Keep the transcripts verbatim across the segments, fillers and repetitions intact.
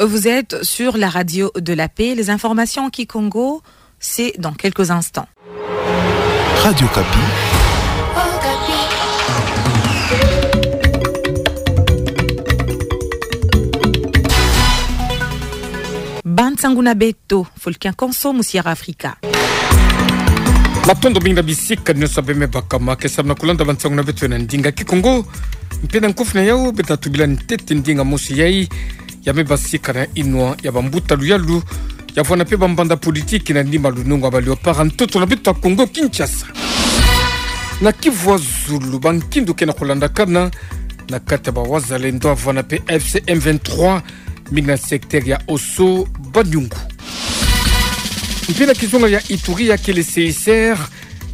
Vous êtes sur la radio de la paix. Les informations en kikongo, c'est dans quelques instants. Radio Okapi. Bansangu na beto, Fulgence Nkosio mu Sierra Africa. Matondo mingi na bisika nyonso bemebaka ma ke samna kulanda bansangu na beto na ndinga kikongo. Mpe na nkufi na yau, beta tubila ntete ndinga mosi yai ya mebasika na inwa ya bambuta luyalu, ya vwanda mpe bambanza politiki na nima lunungu ya ba Léopards ya ntoto na beto ya Kongo Kinshasa. Na Kivu ya zulu, bankindu ke na kulandakana na kati ya ba Wazalendo ya vwanda mpe A F C M vingt-trois, mingi na secteur ya Osso Banyungu. Mpe na kizunga ya Ituri, ya kele C I C R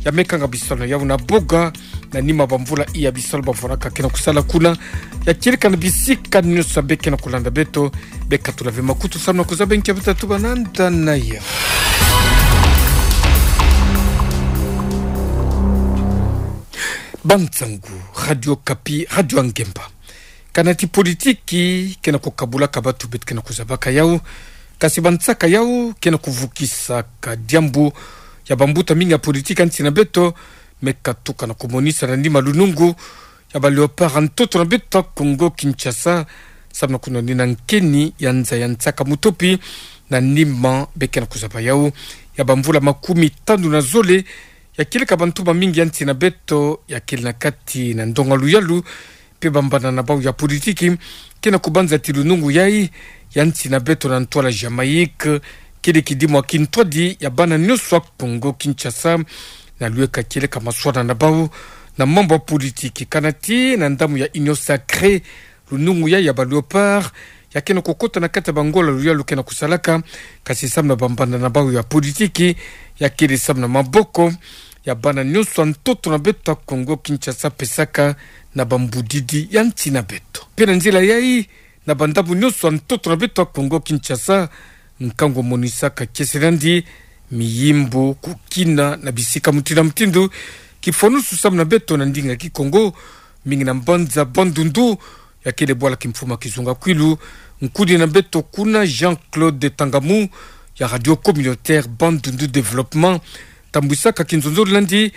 ya mekanga bisalu na yau na boga, na nima bamvula iya bisalu bavwanaka ke na kusala kuna. Ya kieleka na bisika nyonso be ke na kulanda beto, be katula ve makutu samna kuzaba nkia beta tuba nanda na yau. Bansangu, Radio Okapi, radio ya ngemba. Kana ti politiki ke na kukabulaka batu, beto ke na kuzabaka yau, kasi bansaka yau ke na kuvukisaka diambu ya bambuta mingi ya politiki ya nsi na beto me katuka na kumonisa na nima lunungu ya ba Léopards ya ntoto na beto ya Kongo Kinshasa, samna kunonina nkeni ya nza ya nsaka mutopi na nima be ke na kuzaba yau ya bamvula makumi tanu na zole. Ya kieleka bantu bamingi ya nsi na beto ya kele na kati na ndonga luyalu, mpe bambanza na bau ya politiki ke na kubanza ti lunungu yai ya nsi na beto na ntwala Jamaïque kele kidimu ya kintwadi ya bana nyonso ya Kongo Kinshasa, na luyeka kieleka maswana na bau na mambu ya politiki. Kana ti na ndambu ya Union Sacrée, lunungu yai ya ba Léopards ya ke na kukota na kati ya bangola luyalu ke na kusalaka, kasi samna bambanza na bau ya politiki, ya kele samna maboko ya bana nyonso ya ntoto na beto ya Kongo Kinshasa pesaka na bambudidi ya nsi na beto. Mpe na nzila yai, na bandambu nyonso ya ntoto na beto ya Kongo Kinshasa, nkangu monisaka kiese nandi miyimbu, kukina na bisika mutindu na mutindu. Kifwanusu samna beto na ndinga kikongo, mingi na mbanza Bandundu, ya kele bwala kimfumu ya kizunga kwilu. Nkudi na beto kuna, Jean-Claude Tangamu, ya Radio Communautaire Bandundu Développement, tambwisaka kinzonzolo nandi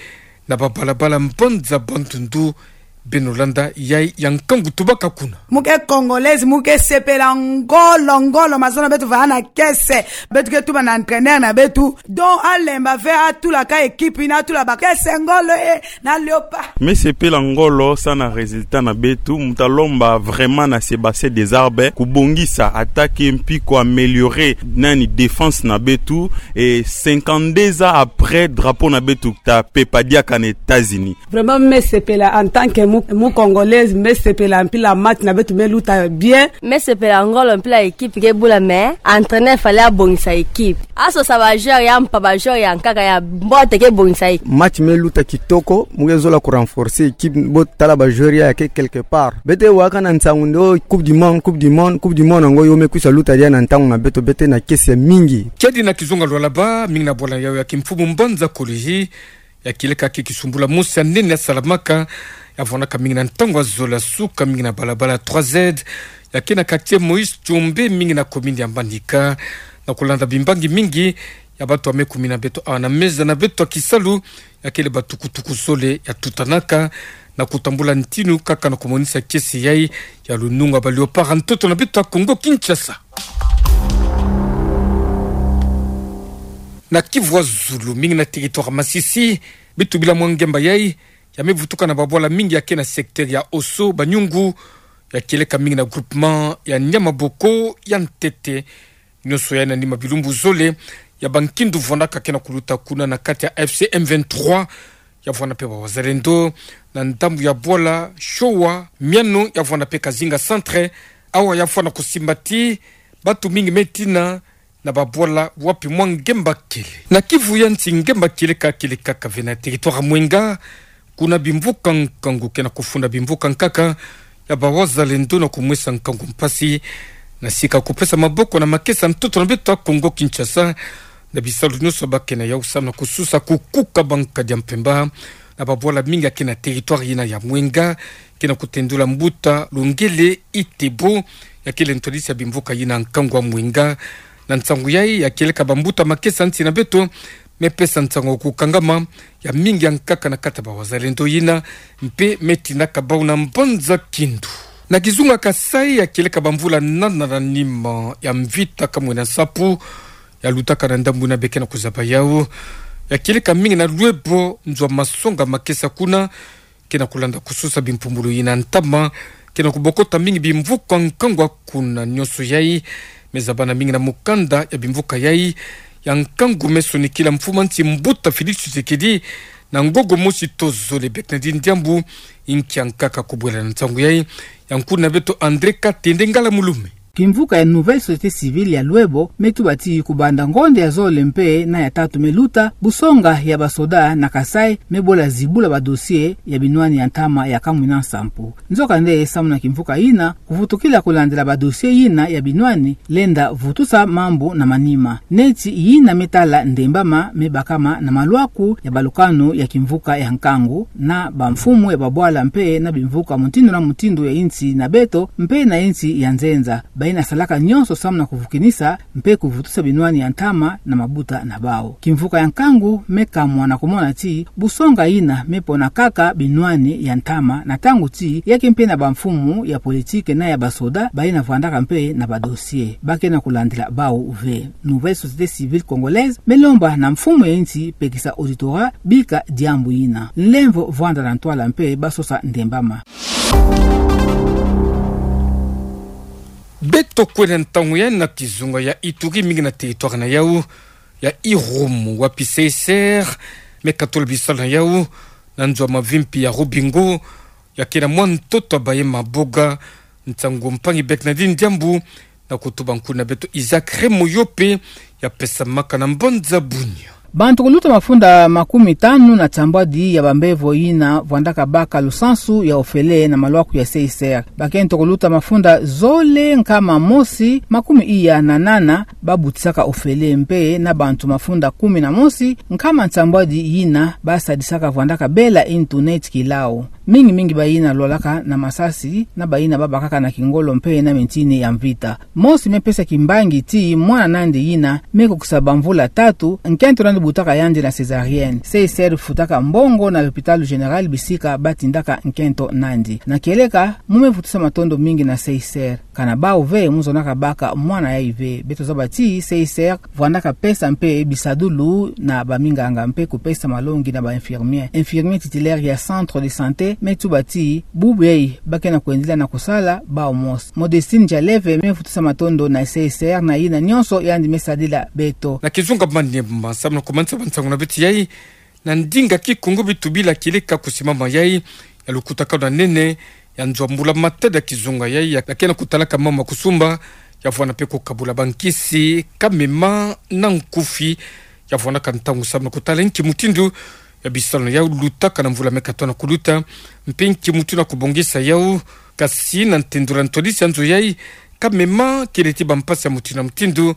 na babalabala mbanza Bandundu. Beno landa yai ya nkangu tubaka kuna. Mu ke Congolais, mu ke sepela ngolo ngolo, mazono beto vana kiese. Beto ke tuba na entraîneur na beto, donc alemba ve atula ka équipe yina, atula ba kiese ngolo e na Léopards. Me sepela ngolo sa na résultat na beto, mu ta lomba vraiment na Sébastien Desabre kubongisa attaque mpi ku améliorer nani défense na beto, et cinquante-deux ans après, drapeau na beto ta pepa diaka na États-Unis. Vraiment, me sepela en tant que mu, mu Congolaise, me sepela mpila match na beto me luta bien. Me sepela ngolo mpila équipe ke bula, mais entraîneur fallait abongisa équipe. Asosa ba joueurs ya mpa, ba joueurs ya nkaka ya mbote ke bongisa équipe. Match me luta kitoko, mu ke zola ku renforcer équipe, bo tala ba joueurs ya ke quelque part. Beto waka na nsangu nde o Coupe du Monde, Coupe du Monde, Coupe du Monde, ngo yo me kwisa luta diaka na ntangu na beto, beto na kiese mingi. Kiadi na kizunga lwalaba, mingi na bwala yau ya kimfumu mbanza Kolihi, ya kieleka ke kisumbula mosi ya nene ya salamaka, ya vwanaka mingi na ntangu ya zole ya suka, mingi na balabala trois Z, ya ke na quartier Moïse Tshombe, mingi na commune ya Manika, na kulanda bimbangi mingi ya bato ya me kumi na beto awa na meza na beto ya kisalu, ya kele batukutuku zole ya tutanaka, na kutambula ntinu kaka na kumonisa kiese yai ya lunungu ya ba Léopards ya ntoto na beto ya Kongo Kinshasa. Na Kivu ya zulu, mingi na territoire Masisi, beto bila mwa ngemba yai ya me vutuka na babwala mingi ya ke na secteur ya Osso Banyungu, ya kieleka mingi na groupement ya Niamaboko ya ntete. Nyonso yai na nima bilumbu zole ya bankindu vwanaka ke na kuluta kuna na kati ya F C M vingt-trois, ya vwanda mpe ba Wazalendo na ndambu ya bwala Showa Miano, ya vwanda mpe Kazinga Centre, awa ya vwanda kusimba ti bato mingi me tina na babwala wapi mwa ngemba kele. Na Kivu ya nsi, ngemba kieleka, kieleka kaka ve na territoire Mwenga, kuna bimvuka nkangu ke na kufunda bimvuka nkaka ya ba Wazalendo na kumwesa nkangu mpasi na sika kupesa maboko na makesa ntoto na beto ya Kongo Kinshasa, na bisalu nyonso ba ke na yau samu na kususa kukuka bankadi ya mpemba na babwala mingi ya ke na territoire yina ya Mwenga, ke na kutendula mbuta Lungele Itebo, ya kele ntwadisi ya bimvuka yina nkangu wa mwinga. Na nsangu yai, ya kieleka bambuta makesa nsi na beto, me pesa nsangu ya kukangama ya mingi ya nkaka na kati ya bawazalendo yina, mpe me tindaka bau na mbanza kindu. Na kizunga Kasaï, ya kieleka bamvula nana na nima ya mvita kamwena nsapu ya lutaka na ndambu yina be ke na kuzaba yau. Ya kieleka mingi na Luebo, nzo wa masonga makesa kuna, ke na kulanda kusosa bimpumbulu yina ntama, ke na kubokota mingi bimvuka nkangu kuna. Nionso yai me zabana mingi na mukanda ya bimvuka yai ya nkangu me sonikila mfumu a nsi mbuta Félix Tshisekedi na ngogo mosi to zole. Bernardine Diambu, inki ya nkaka kubwela na nsangu yai, ya nkundi na beto André Katende Ngala Mulume. Kimvuka ya Nouvelle Société Civile ya Luebo me tuba ti kubanda ngonde ya zole mpe na ya tatu me luta, busonga ya basoda na Kasaï me bola zibula ba dossier ya binwani ya ntama ya kamwena nsapu. Nzokande, samu na kimvuka yina kuvutukila kulandila ba dossier yina ya binwani, lenda vutusa mambu na manima. Neti yina me tala ndembama me bakama na malwaku ya balukanu ya kimvuka ya nkangu, na bamfumu ya babwala mpe na bimvuka mutindu na mutindu ya insi na beto mpe na insi ya nzenza. Bayina salaka nionso samu na kuvukinisa mpe kuvutusa binwani ya ntama na mabuta na bau. Kimvuka ya nkangu me kamwa na kumona ti busonga yina me pona kaka binwani ya ntama, na ntangu ti ya ke mpe na bamfumu ya politike na ya basoda bayina vwandaka mpe na ba dossier, ba ke na kulandila bau ve. Nouvelle Société Civile Congolaise me lomba na mfumu ya insi pekisa auditorat bika diambu yina. Nlemvo vwanda na ntwala mpe ba sosa ndembama. Beto kwenda ntangu yai na kizunga ya Ituri, mingi na territoire na yau ya Irumu, wapi C I C R me katola bisalu na yau na nzo wa mavimpi ya Rubingo, ya ke na mwa ntoto wa baye maboga. Nsangu mpangi Bernardine Diambu, na kutuba nkundi na beto Isaac Remoyope, ya pesamaka na mbanza Bunia. Bantu kuluta mafunda makumi tanu na nsambwadi ya bambevo yina vwandaka baka lusansu ya ofele na malwaku ya C I C R. Bakento kuluta mafunda zole nkama mosi makumi iya na nana ba butisaka ofele, mpe na bantu mafunda kumi na mosi nkama nsambwadi yina ba sadisaka vwandaka bela internet kilau. Mingi mingi bayina lwalaka na masasi, na bayina ba bakaka na kingolo mpe na mintini ya mvita. Mosi me pesa kimbangi ti mwana nandi yina me kukisa bamvula tatu, nkento nandi butaka yandi na césarienne. C I C R futaka mbongo na l'hôpital général bisika ba tindaka nkento nandi. Na kieleka, mu me vutusa matondo mingi na C I C R. Kana bau ve mu zonaka baka mwana yai ve. Beto zaba ti C I C R vwandaka pesa mpe bisadulu na baminganga mpe kupesa malongi na ba infirmier. Infirmier titulaire ya centre de santé me tuba ti bubu yai ba ke na kwendila na kusala bau mosi. Modestine Jaleve me vutusa matondo na C I C R na yina nionso yandi me sadila beto. Na kizunga Maniema, samu na kumanisa bansangu na beto yai, na ndinga Kikongo beto bila kieleka kusimama yai ya lukutakanu ya nene ya nzo wa mbula matadi ya kizunga yai, ya ke na kutalaka mama kusumba, ya vwanda mpe kukabula bankisi, kamema na nkufi, ya vwandaka ntangu samu na kutala nki mutindu ya bisalu na yau lutaka na mvula me katoa na kuluta, mpe nki mutindu ya kubongisa yau. Kasi na ntendula ntwadisi ya nzo yai, kamema kele ti bampasi ya mutindu na mutindu,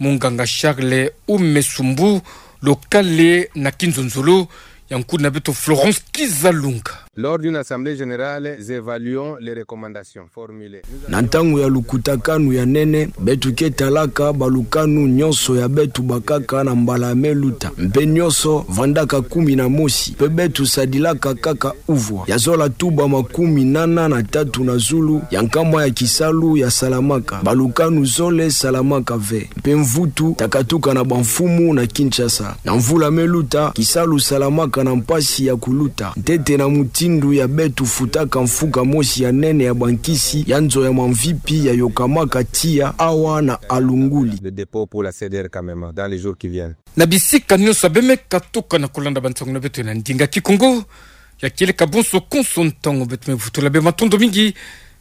munganga Charles Umesumbu, lokale na Kinzonzolo, ya nkundi na beto Florence Kizalunga. Lors d'une assemblée générale, nous évaluons les recommandations formulées. Na ntangu ya lukutakanu ya nene, beto ke talaka balukanu nionso ya beto bakaka na mbala me luta. Mpe nionso vandaka kumi na mosi, mpe beto sadilaka kaka uvwa. Ya zola tuba makumi nana na tatu na zulu ya nkama ya kisalu ya salamaka, balukanu zole salamaka ve. Mpe mvutu ta katuka na bamfumu na Kinshasa. Na mvula me luta, kisalu salamaka na mpasi ya kuluta, ntete na mutindu ya beto futaka mfuka mosi ya nene ya bankisi ya nzo ya mamvipi ya yokamaka tiya awa na Alunguli. Le dépôt pour la C D R Kamema dans les jours qui viennent. Na bisika nionso be me katuka na kulanda bansangu na beto na ndinga Kikongo, ya kieleka bonso konso ntangu beto me vutula be matondo mingi.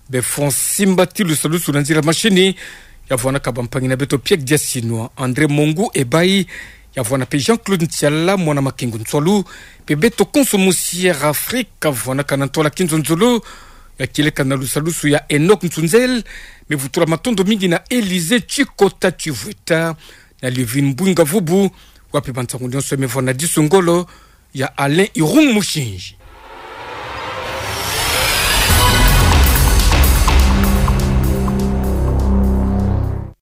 Be Francis Mbati, lusalusu na nzila mashini, ya vwandaka bampangi na beto Pierre Diasinwa, André Mongu Ebayi, ya vwanda mpe Jean-Claude Ntiala, mwana Makengo Nswalu, mpe beto konso musi Air Afrique, ya vwandaka na ntwala Kinzonzolo, ya kieleka na lusalusu ya Enoch Nsunzel. Me vutula matondo mingi na Élysée Tshikota Tshivweta, na Livine Mbwinga Vubu, wapi bansangu nionso me vwanda disu ngolo ya Alain Irung Mushinji.